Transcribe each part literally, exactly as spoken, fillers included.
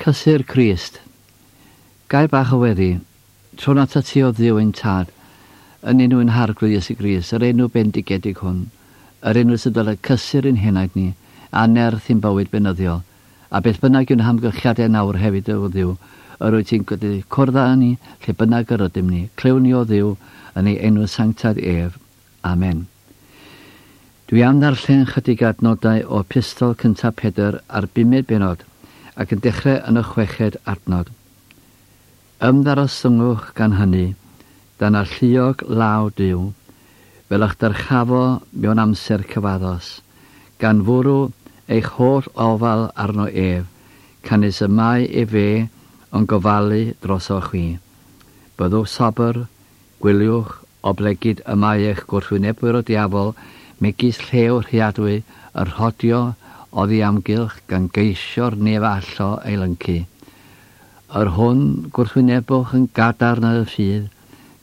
Cysur Crist. Gair bach o weddi, tro'n atat ti o Dduw ein tad, yn enw ein Harglwydd Iesu Grist, yr enw bendigedig hwn, yr enw sydd dylai cysur ein henaid ni, a nerth i'n bywyd beunyddiol, a beth bynnag yw'n hamgylchiadau nawr hefyd o Dduw, yr wyt ti'n gwneud cwrdd â ni, lle bynnag yr ydym ni, clywn ni o Dduw yn ei enw sanctaidd ef. Amen. Dwi am ddarllen chydig adnodau o Epistol cyntaf Pedr a'r bumed bennod, ac yn dechrau yn y chweched adnod. Ymddarostyngwch gan hynny, dan alluog law Duw, fel y'ch dyrchafo mewn amser cyfaddos, gan fwrw eich holl ofal arno ef, canys y mae efe yn gofalu drosoch chwi. Byddwch sobr, gwyliwch, oblegid y mae eich gwrthwynebwyr y diafol, megis llew rhuadwy, yn rhodio oddi amgylch gan geisio'r neb allo ei lyncu. Yr hwn gwrthwynebwch yn gadarn yn y ffydd,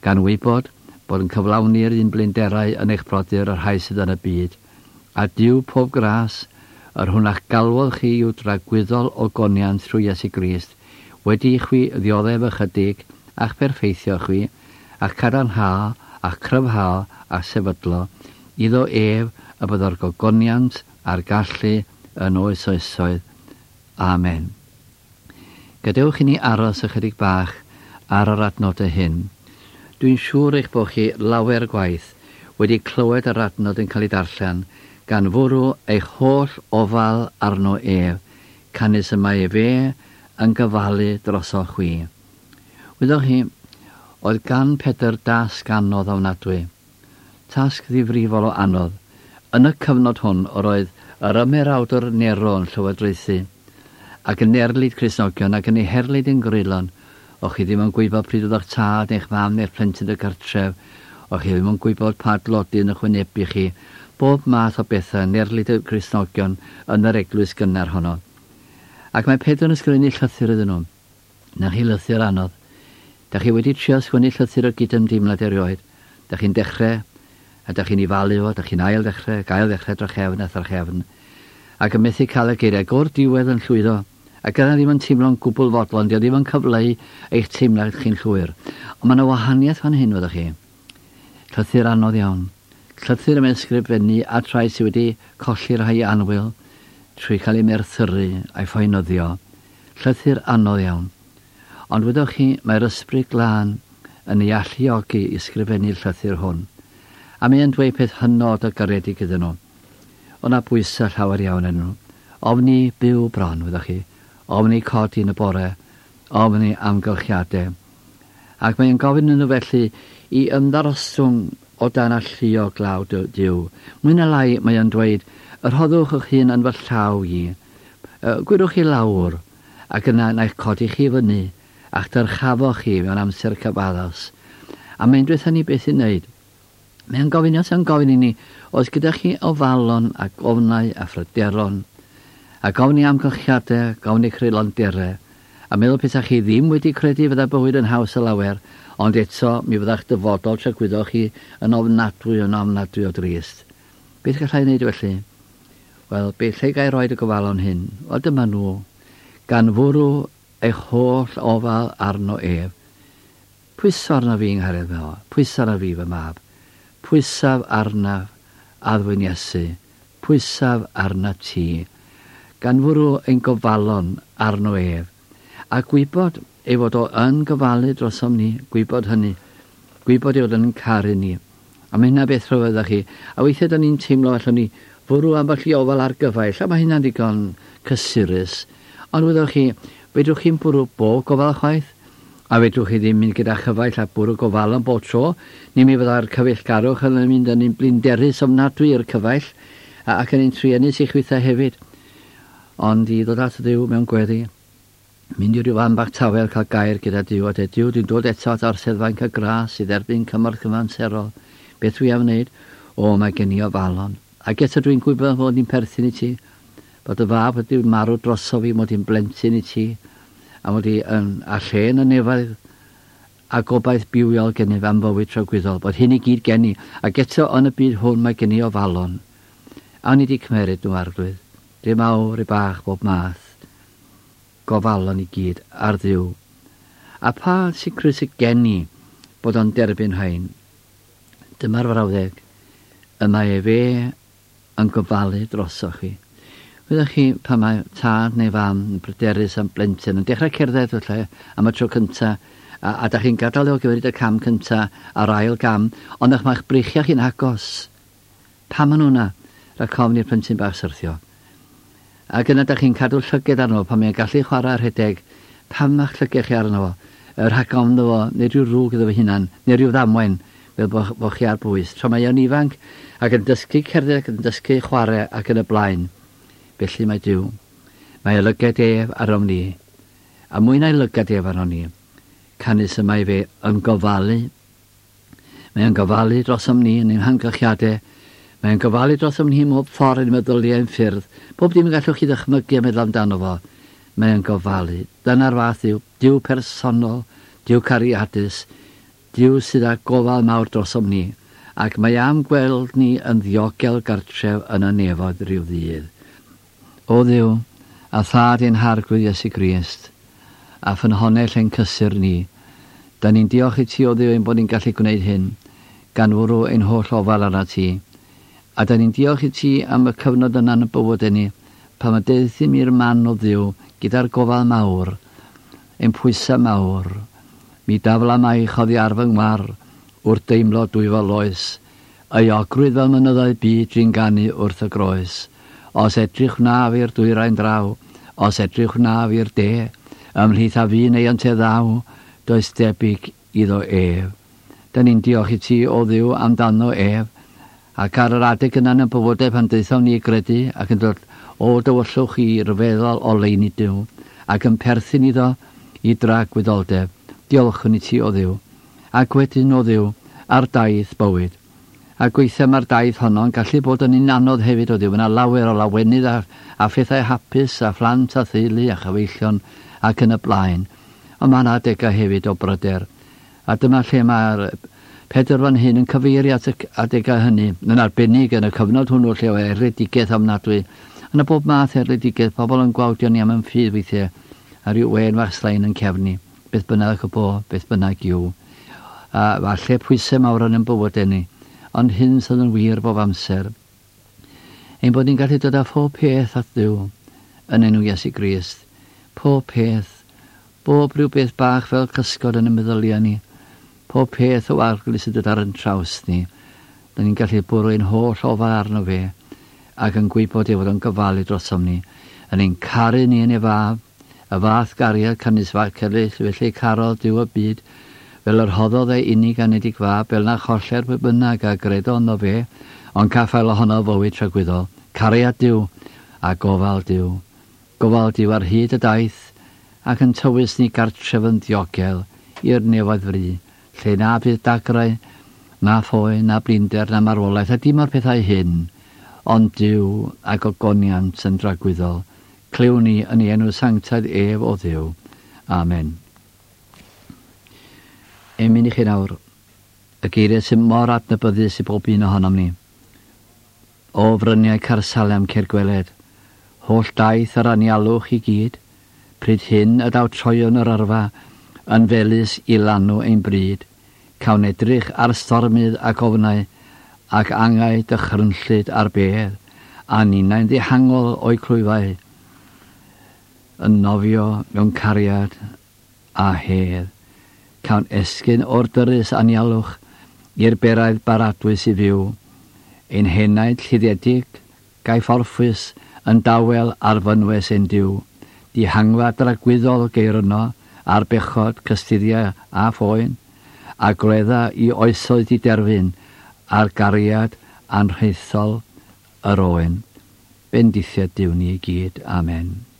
gan wybod bod yn cyflawni'r un blinderau yn eich brodyr y rhai sydd yn y byd. A Duw pob gras, yr hwn a'ch galwodd chi i'w dragwyddol ogoniant trwy Iesu Grist, wedi i chwi ddioddef ychydig, a'ch perffeithio chwi, a'ch cadarnhau, a'ch cryfhau, a'ch sefydlo, iddo ef y byddo'r gogoniant a'r gallu yn oes oesoedd. Amen. Gadewch i ni aros ychydig bach ar yr adnodau hyn. Dwi'n siŵr eich bod chi lawer gwaith wedi clywed yr adnod yn cael ei darllen, gan fwrw eich holl ofal arno ef, canys y mae efe yn gofalu drosoch chwi. Wyddoch chi, oedd gan Pedr dasg anodd ofnadwy, tasg ddifrifol o anodd. Yn y cyfnod hwn, yr oedd yr ymerawdwr Nero yn llywodraethu, ac yn erlid Cristnogion ac yn ei herlid yn greulon. O'ch chi ddim yn gwybod pryd oedd eich tad neu'ch mam neu'r plentyn y gartref, o'ch chi ddim yn gwybod pa dlodi yn eich wynebu chi, bob math o bethau yn erlid y Cristnogion yn yr eglwys gynnar honno. Ac mae Pedr yn ysgrifennu llythyr iddyn nhw. Na chi lythyr anodd. Da chi wedi trio sgwennu llythyr o gydymdeimlad erioed. Da chi'n dechrau, a da chi'n ei falu o, da chi'n ail ddechrau, ac ail ddechrau drachefn a thrachefn, ac yn methu cael y geiriau, o'r diwedd yn llwyddo, ac yna ddim yn teimlo'n gwbl fodlon, dio ddim yn cyfleu eich teimlad chi'n llwyr. Ond mae yna wahaniaeth fan hyn, fyddwch chi. Llythyr anodd iawn. Llythyr yn ysgrifennu at rai sydd wedi colli rhai annwyl trwy cael ei merthyru a'i phoenyddio. Llythyr anodd iawn. Ond wyddoch chi, mae'r Ysbryd Glân yn ei alluogi i ysgrifennu'r llythyr hwn. A mae'n dweud peth hynod o garedig iddyn nhw. O'na bwysau llawer iawn yn nhw. Ofni byw bron, wyddoch chi. Ofni codi yn y bore. Ofni amgylchiadau. Ac mae'n gofyn nhw felly i ymddarostwng o dan alluog law Duw. Mwy na lai mae'n dweud, yr rhoddwch eich hun yn fy llaw i. Gwyrwch chi lawr, ac yna na eich codi chi fyny, a'ch dyrchafo chi mewn amser cyfaddos. A mae'n dweud hynny beth i'n wneud. Mae'n gofyn, os yn gofyn i ni, oes gyda chi ofalon ac ofnau a phryderon, a gofyn i amgylchiadau, gofyn i creulonderau, a meddwl petai chi ddim wedi credu fydda bywyd yn haws o lawer, ond eto mi fydda'ch dyfodol tragwyddoch chi yn ofnadwy yn ofnadwy o drist. Beth gallai wneud felly? Wel, beth lle gai roed y gofalon hyn? Wel, dyma nhw, gan fwrw eich holl ofal arno ef. Pwyso arno fi yng Nghariad fy, pwyso arno fi fy mab. Pwysaf arnaf addfwyn Iesu, pwysaf arna ti, gan fwrw ein gofalon arno ef, a gwybod ei fod o yn gofalu drosom ni, gwybod hynny, gwybod ei fod yn caru ni. A mae hynna beth rhyfedd chi, a weithiau da ni'n teimlo allwn ni fwrw ambell i ofal ar gyfaill, a mae hynna'n digon cysurus, ond wyddoch chi, fedrwch chi'n bwrw bob gofal chwaith, a fedrwch chi ddim mynd gyda chyfaill a bwrw gofal yn bob tro, neu mi fydda'r cyfeillgarwch yn mynd yn un blinderus ofnadwy i'r cyfaill, ac yn un truenus i chwithau hefyd. Ond i ddod at Dduw mewn gweddi, mynd i ryw fan bach tawel cael gair gyda Duw, a dweud, Duw, dwi'n dod eto at orsedd fainc y gras i dderbyn cymorth cyfamserol. Beth dwi am wneud? O, mae gen i ofalon. Ac eto dwi'n gwybod fod ni'n perthyn i ti, bod y fab wedi marw droso fi, mod i'n blentyn i ti, a mod i yn, a lle yn y nefoedd, a gobaith bywiol gennyf am fywyd tragwyddol, bod hyn i gyd gen i, ac eto yn y byd hwn mae gen i ofalon. A ni wedi cymeryd nhw, Arglwydd, dim mawr i bach bob math. gofalon i gyd ar Dduw. A pa sicrwydd sydd gen i bod o'n derbyn rhain? Dyma'r frawddeg, y mae efe yn gofalu drosoch chi. Wyddoch chi pan mae tad neu fam yn bryderus am blentyn yn dechrau cerdded felly am y tro cynta, a, a da chi'n gadael o gymeryd y cam cynta a'r ail gam, ond eich mae'ch breichiau chi'n agos. Pam maen nhw yna? Rhaid ofn i'r plentyn bach syrthio. Ac yna da chi'n cadw llyged arno fo pan mae'n gallu chwarae rhedeg. Pam mae'ch llyged chi arno fo? Rhag ofn iddo fo, neu rhyw ddrwg iddo fo hunan, neu rhyw ddamwain, fel bo, bo chi ar bwys. Tra mae o'n ifanc ac yn dysgu cerdded ac yn dysgu chwarae ac yn y blaen. Felly mae Duw. Mae ei lyged ef arnom ni. A mwy na'i lygad ef arnom ni, canys y mae fe yn gofalu. Mae o'n gofalu drosom ni yn ein hamgylchiadau. Mae o'n gofalu drosom ni mhob ffordd yn meddyliau ein ffyrdd. Pob dim y gallwch chi ddychmygu a meddwl amdano fo. Mae o'n gofalu. Dyna'r fath yw Duw personol, Duw cariadus, Duw sydd â gofal mawr drosom ni, ac mae am gweld ni yn ddiogel gartref yn y nefoedd rhyw ddydd. O Dduw, a thad ein Harglwydd Iesu Grist, a ffynhonnell ein cysur ni, da ni'n diolch i ti o Dduw ein bod ni'n gallu gwneud hyn, gan fwrw ein holl ofal arnat ti. A da ni'n diolch i ti am y cyfnod yna yn y bywydau ni, pan mae deuthum i'r man o Dduw gyda'r gofal mawr, ein pwysau mawr. Mi dafla maich oddi ar fy ngwar, wrth deimlo dwyfol oes, euogrwydd fel mynyddoedd byd drin ganu wrth y groes. Os edrych wnaf i'r dwyrain draw, os edrych wnaf i'r de, ymhlith a fi neu ynte ddaw, does debyg iddo ef. Da ni'n diolch i ti o Dduw amdano ef, ac ar yr adeg yna yn y bywydau pan daethom ni i gredu ac yn dod o dywyllwch i ryfeddol oleuni Duw, ac yn perthyn iddo i dragwyddoldeb. Diolchwn i ti o Dduw, ac wedyn o Dduw ar daith bywyd. A gweithiau mae'r daith honno yn gallu bod yn un anodd hefyd o Dduw. Yna lawer o lawenydd a, a phethau hapus a phlant a theulu a chyfeillion ac yn y blaen. Ond mae yna adegau hefyd o bryder. A dyma lle mae'r Pedr fan hyn yn cyfeirio at y adegau hynny, yn arbennig yn y cyfnod hwnnw lle o erledigaeth ofnadwy. Yna bob math erledigaeth, pobl yn gwawdio ni am yn ffydd weithiau, a rhyw wên fach slain yn cefni, beth bynnag y bo, beth bynnag yw. A falle pwysau mawr yn ein bywydau ni, ond hyn sydd yn wir bob amser. Ein bod ni'n gallu dod â phob peth at Dduw yn enw Iesu Grist. Pob peth, bob rhyw beth bach fel cysgod yn y meddyliau ni, pob peth o arglwys sydd dod ar yn traws ni, da ni'n gallu bwrw ein holl ofal arno fe, ac yn gwybod ei fod o'n gofalu drosom ni, yn ein caru ni yn ei fab, y fath gariad canys celys, felly carodd Duw y byd, fel yr hoddodd ei unig anedig fab, fel na choller pwy bynnag a gredo ynddo fe, ond caffael ohono fywyd tragwyddol. Cariad Duw a gofal Duw. Gofal Duw ar hyd y daith, ac yn tywys ni gartref yn ddiogel i'r nefoedd fri, lle na fydd dagrau, na phoen, na blinder, na marwolaeth, a dim o'r pethau hyn, ond Duw a gogoniant yn dragwyddol. Clywn ni yn ei enw sanctaidd ef o Dduw. Amen. Emyn i chi nawr, y geiriau sy'n mor adnabyddus i bob un ohonom ni. O fryniau Caersalem ceir gweled, holl daith yr anialwch i gyd, pryd hyn y daw troion yr yrfa, yn felys i lanw ein bryd, cawn edrych ar stormydd ac ofnau, ac angau dychrynllyd ar bedd, a ninnau'n ddihangol o'i clwyfau, yn nofio mewn cariad a hedd. Cawn esgyn o'r dyrys anialwch i'r beraidd baradwys i fyw, ein henaid lluddiedig gaiff orffwys yn dawel ar fynwes ein Duw, dihangfa dragwyddol geir yno, ar bechod, cystuddiau a phoen, a gwledda i oesoedd i derfyn ar gariad anrhaethol yr oen. Bendithiad Duw ni i gyd. Amen.